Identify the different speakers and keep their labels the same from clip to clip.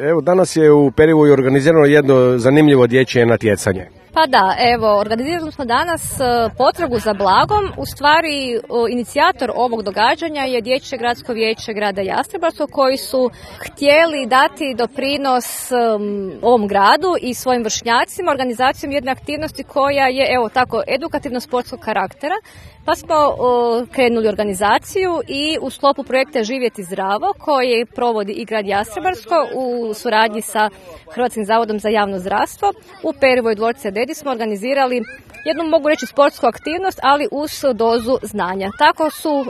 Speaker 1: Evo, danas je u Perivoju organizirano jedno zanimljivo dječje natjecanje.
Speaker 2: Pa da, evo, organizirali smo danas potragu za blagom. U stvari, inicijator ovog događanja je Dječje gradsko vijeće grada Jastrebarsko, koji su htjeli dati doprinos ovom gradu i svojim vršnjacima organizacijom jedne aktivnosti koja je, evo tako, edukativno-sportskog karaktera. Pa smo krenuli organizaciju i u sklopu projekta Živjeti zdravo, koji provodi i grad Jastrebarsko u suradnji sa Hrvatskim zavodom za javno zdravstvo, u Perivoju dvorce Dedi smo organizirali jednu, mogu reći, sportsku aktivnost, ali uz dozu znanja. Tako su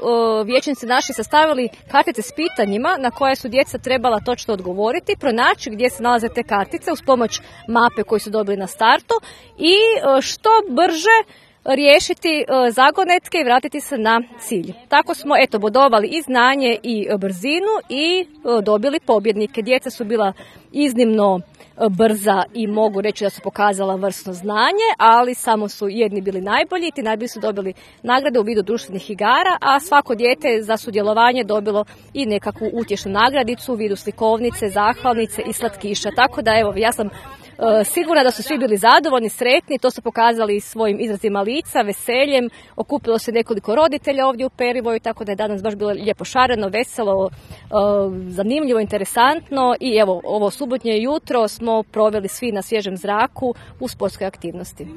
Speaker 2: vijećnici naši sastavili kartice s pitanjima na koje su djeca trebala točno odgovoriti, pronaći gdje se nalaze te kartice uz pomoć mape koju su dobili na startu i što brže riješiti zagonetke i vratiti se na cilj. Tako smo bodovali i znanje i brzinu i dobili pobjednike. Djeca su bila iznimno brza i mogu reći da su pokazala vrsno znanje, ali samo su jedni bili najbolji, ti najbolji su dobili nagrade u vidu društvenih igara, a svako dijete za sudjelovanje dobilo i nekakvu utješnu nagradicu u vidu slikovnice, zahvalnice i slatkiša. Tako da evo, ja sam sigurna da su svi bili zadovoljni, sretni, to su pokazali svojim izrazima lica, veseljem, okupilo se nekoliko roditelja ovdje u Perivoju, tako da je danas baš bilo lijepo šareno, veselo, zanimljivo, interesantno i evo, ovo subotnje jutro smo proveli svi na svježem zraku u sportskoj aktivnosti.